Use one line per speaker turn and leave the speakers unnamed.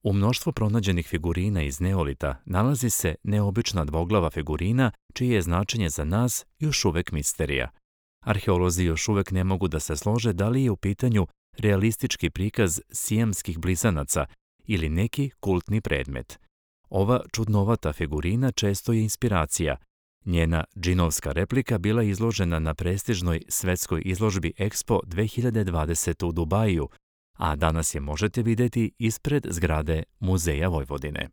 U mnoštvu pronađenih figurina iz neolita nalazi se neobična dvoglava figurina čije je značenje za nas još uvek misterija. Arheolozi još uvek ne mogu da se slože da li je u pitanju realistički prikaz sijamskih blizanaca ili neki kultni predmet. Ova čudnovata figurina često je inspiracija. Njena džinovska replika bila je izložena na prestižnoj svetskoj izložbi Expo 2020 u Dubaju, a danas je možete videti ispred zgrade Muzeja Vojvodine.